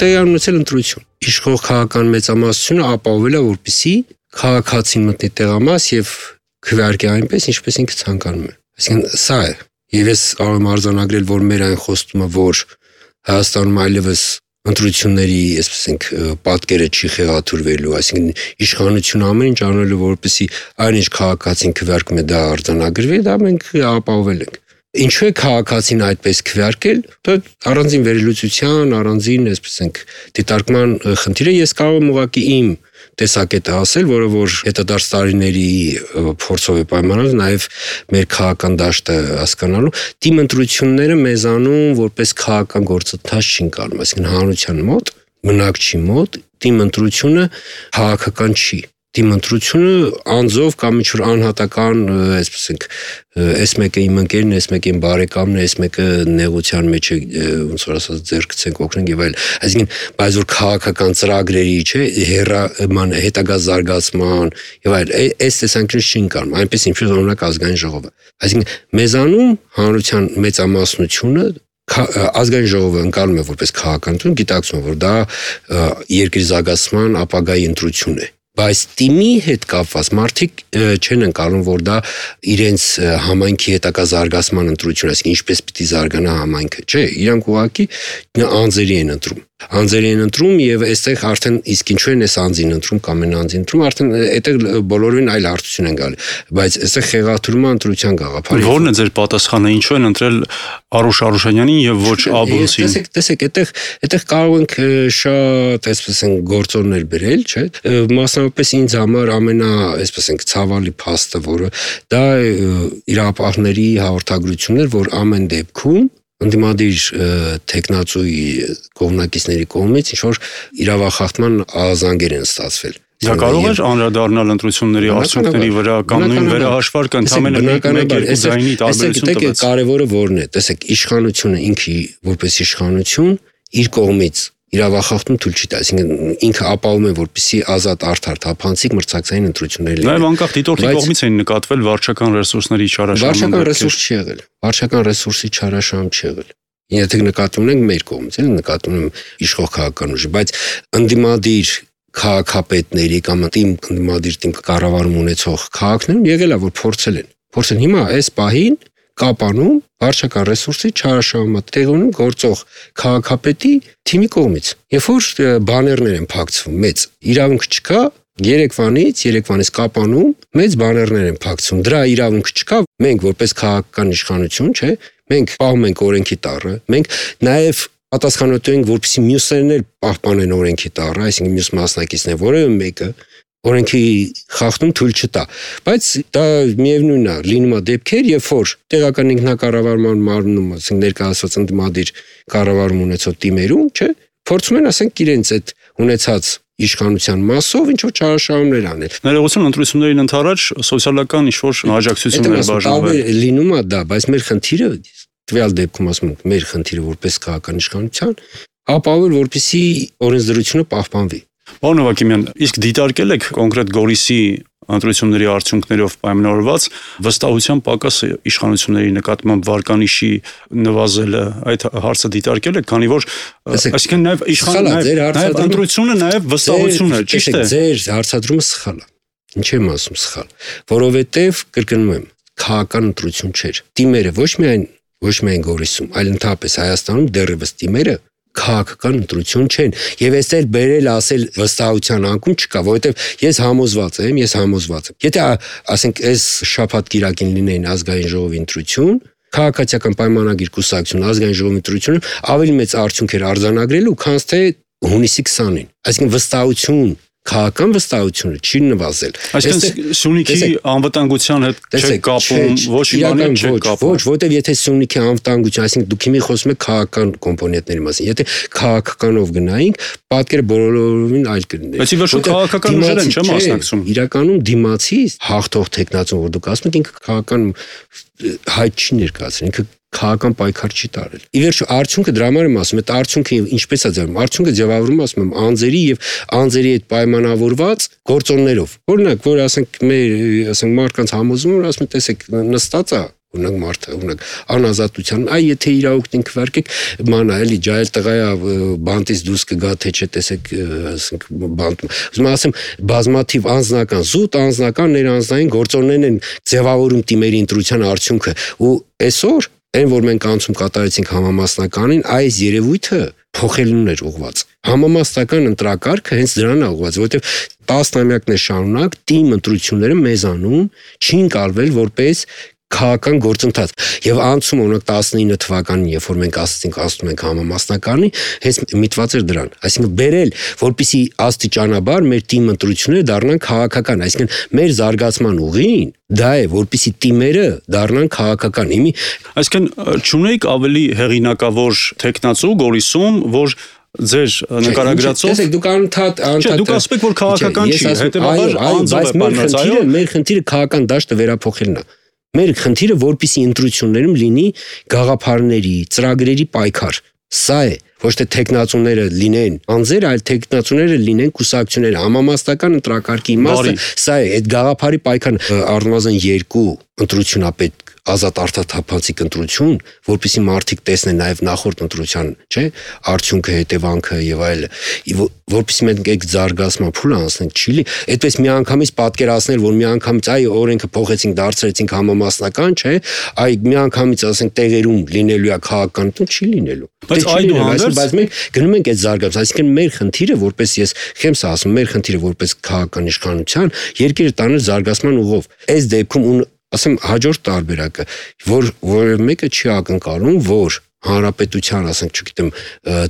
տեղի ունեցել ընտրություն։ Իշխող քաղաքական մեծամասնությունը ապահովել է, որպեսզի քաղաքացին մտնի տեղամաս եւ քվեարկի այնպես, ինչպես ինքը ցանկանում է։ Այսինքն սա է։ Եվ ես կարող եմ արձանագրել, որ մեր այն խոստումը, որ Հայաստանում այլևս ընտրությունների, այսպես պատկերը չի խեղաթյուրվելու, այսինքն իշխանությունը ամեն ինչ անելու, որպեսզի այնինչ քաղաքացին քվեարկում է դա արձանագրվի, դա մենք ապահովել ենք։ Ինչու է քաղաքացին այդպես քվեարկել, դա առանձին վերլուծության, առանձին, այսպես դիտարկման խնդիր է, ես կարող եմ ուղղակի իմ տեսակետը ասել, որը որ հետադարձ տարիների փորձով է պայմանավորված, նաև մեր քաղաքական դաշտը հասկանալու, թիմ ընտրությունները մեզանում որպես քաղաքական գործընթաց չին կարում, այսինքն հանրության մոտ, բնակչի մոտ թիմ ընտրությունը քաղաքական չի։ Թիմ ընտրությունը անձով կամ ինչ-որ անհատական, այսպես այս մեկը իմ ընկերն է, այս մեկը իմ բարեկամն է, այս մեկը նեղության մեջ է, ոնց որ ասած ձեռքցենք օգնենք եւ այլ։ Այսինքն, բայց որ քաղաքական ծրագրերի, չէ, հետագա զարգացման եւ այլ, այս տեսանկյունից չին կարող, այնպես ինչպես օրինակ ազգային ժողովը։ Այսինքն, մեզանում հանրության մեծամասնությունը ազգային ժողովը ընկալում է որպես քաղաքական ընտրություն, գիտակցում է, որ դա երկրի զարգացման ապագայի ընտրություն է։ Բայց թիմի հետ կապված մարդիկ չեն ընկալում, որ դա իրենց համայնքի հետագա զարգացման ընտրություն, այսինքն ինչպես պիտի զարգանա համայնքը, չէ, իրանք ուղղակի անձերի են ընտրում։ Անձերի են ընտրում եւ այստեղ արդեն իսկ ինչու են այս անձին ընտրում կամ են անձին ընտրում, արդեն այդտեղ բոլորին այլ հարցություն են գալի, բայց այստեղ խեղաթյուրումը ընտրության գաղափարը։ Որն է ձեր պատասխանը, ինչու են ընտրել Արուշ Արուշանյանին եւ ոչ Աբունցին։ Տեսեք, այդտեղ կարող ենք շատ, այսպես են գործոններ բերել, չէ՞։ Մասնավորապես ինձ համար ամենա, այսպես ենք ցավալի փաստը, որը դա իրապահների հաղորդագրություններ, որ ամեն դեպքում ընդդիմադիր տեխնացուի կողմնակիցների կողմից ինչ-որ իրավախախտման ազանգեր են ստացվել։ Դա կարող է անդրադառնալ ընտրությունների արդյունքների վրա կամ նույն վերահաշվարկը ընդհանրապես մեկ ձայնի տարբերություն տվեց։ Տեսեք, կարևորը որն է, տեսեք, իշխանությունը ինքը որպես իշխանություն իր կողմից իրավախախտում թույլ չի տա, այսինքն ինքը ապահովում է, որպեսզի ազատ արդար թափանցիկ մրցակցային ընտրություններ լինեն։ Նաև անկախ դիտորդի կողմից են նկատվել վարչական ռեսուրսների չարաշահում։ Վարչական ռեսուրս չի եղել։ Վարչական ռեսուրսի չարաշահում չի եղել։ Եթե նկատում ունենք մեր կողմից, էլ նկատում եմ իշխող քաղաքական ուժի, բայց ընդդիմադիր քաղաքապետների կամ ընդդիմադիր թիմ կառավարում ունեցող քաղաքներում եղել է, որ փորձել հիմա այս պահին կապանում վարչական ռեսուրսի չարաշահումը տեղի ունի գործող քաղաքապետի թիմի կողմից։ Երբ որ բաներներ են փակցվում, մեծ իրավունք չկա, Երևանից կապանում մեծ բաներներ են փակցվում։ Դրա իրավունք չկա, մենք որպես քաղաքական իշխանություն, չէ, մենք պահում ենք օրենքի տառը, մենք նաև պատասխանատու ենք, որպեսզի մյուսներն էլ պահպանեն օրենքի տառը, այսինքն մյուս մասնակիցները, որևէ մեկը օրենքի խախտում թույլ չտա, բայց դա միևնույնն է, լինում է դեպքեր, երբ որ տեղական ինքնակառավարման մարմնում, ասենք ներկայացված ընդդիմադիր կառավարում ունեցող թիմերում, չէ, փորձում են, ասենք, իրենց այդ ունեցած իշխանության մասով ինչ-որ չարաշահումներ անել։ Ներողություն, ընտրություններին ընդառաջ սոցիալական ինչ-որ աջակցություններ բաժանվել։ Լինում է դա, բայց մեր խնդիրը, տվյալ դեպքում ասում ենք, մեր խնդիրը որպես քաղաքական իշխանության, ապահովել, որպեսզի օրենսդրությունը պահպանվի։ Պարոն Հովհաննիսյան, իսկ դիտարկել եք կոնկրետ Գորիսի ընտրությունների արդյունքներով պայմանավորված վստահության պակասը իշխանությունների նկատմամբ վարկանիշի նվազելը, այդ հարցը դիտարկել եք, քանի որ այսինքն նաև ընտրությունը նաև վստահություն է, ճիշտ է։ Ձեր հարցադրումը սխալ է։ Ինչ եմ ասում սխալ, որովհետև կրկնում եմ, քաղաքական ընտրություն չէր։ Թիմերը ոչ միայն Գորիսում, այլ ընդհանրապես Հայաստանում դեռևս թիմերը քաղաքական ընտրություն չեն եւ այստեղ բերել ասել վստահության անկում չկա, որովհետեւ ես համոզված եմ։ Եթե ասենք այս շաբաթ կիրակին լինեին ազգային ժողովի ընտրություն, քաղաքացիական պայմանագիր կուսակցություն ազգային ժողովի ընտրությունը ավելի մեծ արդյունք էր արձանագրելու, քան թե հունիսի 20-ին։ Այսինքն վստահություն, քաղաքական վստահությունը չի նվազել։ Այսինքն Սյունիքի անվտանգության հետ չէ կապում, ոչ իմանալ չէ կապում։ Ոչ, որտեվ եթե Սյունիքի անվտանգություն, այսինքն դուք հիմա խոսում եք քաղաքական կոմպոնենտների մասին, եթե քաղաքականով գնայինք, պատկերը բոլորովին այլ կլիներ։ Բայց ի վերջո քաղաքական ուժեր են, չեմ մասնակցում։ Իրականում դիմացի հաղթող տեխնացուն, որ դուք ասում եք, ինքը քաղաքական հայտ չի ներկայացրել, ինքը քաղաքական պայքար չի տարել։ Ի վերջո արդյունքը դրա համար եմ ասում, այդ արդյունքը ինչպես է ձևավորվում։ Արդյունքը ձևավորվում, ասում եմ, անձերի եւ անձերի հետ պայմանավորված գործոններով։ Օրինակ, որ ասենք մեր, ասենք մարդկանց համոզում, որ ասում են, տեսեք, նստած է Օրինակ մարդը, օրինակ անազատության, այ եթե իրավունքին քվարկեք, մանա էլի ջայել տղայա բանտից դուրս կգա թե չէ, տեսեք, ասենք բանտում։ Ուզում ասեմ, բազմաթիվ անձնական, զուտ անձնական ներանձնային գործոններն են ձևավորում թիմերի ընտրության արդյունքը, ու այսօր այն որ մենք անցում կատարեցինք համամասնականին, այս երևույթը փոխելուն էր ուղղված։ Համամասնական ընտրակարգը հենց դրան է ուղղված, որովհետև 10 տարիներ շարունակ թիմ ընտրությունները մեզանում չի ընկալվել որպես քաղաքական գործընթաց եւ անցում օրինակ 19 թվականին, երբ որ մենք ասացինք ասում ենք համամասնականի, հենց միտված էր դրան, այսինքն բերել, որպեսի աստիճանաբար մեր թիմ ընտրությունները դառնան քաղաքական, այսինքն մեր զարգացման ուղին դա է, որպեսի թիմերը դառնան քաղաքական։ Այսինքն չունեիք ավելի հեղինակավոր տեխնացու Գորիսում, որ ձեր նկարագրածով տեսեք դուք անընդհատ դուք ասում եք որ քաղաքական չի, հետեւաբար անձով է բանած, այո, մեր խնդիրը քաղաքական դաշտը վերափոխելն է։ Մեր խնդիրը որպեսի ընտրություններում լինի գաղափարների, ծրագրերի պայքար։ Սա է, ոչ թե տեխնացուները լինեն անձեր, այլ տեխնացուները լինեն կուսակցություններ, համամասնական ընտրակարգի իմաստը սա է, այդ գաղափարի պայքարն առնվազն 2 ընտրությունապետ ազատ արդարթափանցիկ ընտրություն, որպեսզի մարդիկ տեսնեն նաև նախորդ ընտրության, չէ, արդյունքը, հետևանքը եւ այլը, որպեսզի մենք այդ զարգացման փուլը անցնենք, չի լի, այդպես միանգամից պատկերացնել, որ միանգամից այ օրենքը փոխեցինք, դարձրեցինք համամասնական, չէ, այ միանգամից ասենք տեղերում լինելու է քաղաքական, չի լինելու։ Բայց մենք գնում ենք այդ զարգացման, այսինքն մեր խնդիրը, որպես ես խեմս ասում, մեր խնդիրը որպես քաղաքական իշխանության երկիրը տանել զարգացման ուղով։ Այս դեպքում ասեմ հաջորդ տարբերակը, որ մեկը չի ակնկալում, որ հանրապետության, ասենք, չգիտեմ,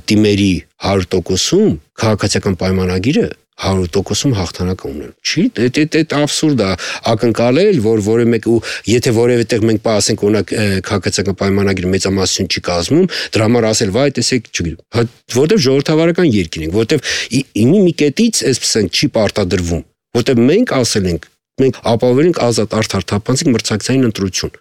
թիմերի 100%-ում քաղաքացիական պայմանագիրը 100%-ում հաղթանակ ունեն։ Չի, դա աբսուրդ է ակնկալել, որ որևէ մեկը եթե որևէ տեղ մենք ասենք օրինակ քաղաքացիական պայմանագիրը մեծամասնություն չի կազմում, դրա համար ասել, վայ, տեսեք, չգիտեմ, որտեվ ժողովրդավարական երկիր ենք, որտեվ մի կետից այսպես ենք չի պարտադրվում, որտեվ մենք ասել ենք մենք ապահովել ենք ազատ արդարթափանցիկ մրցակցային ընտրություն։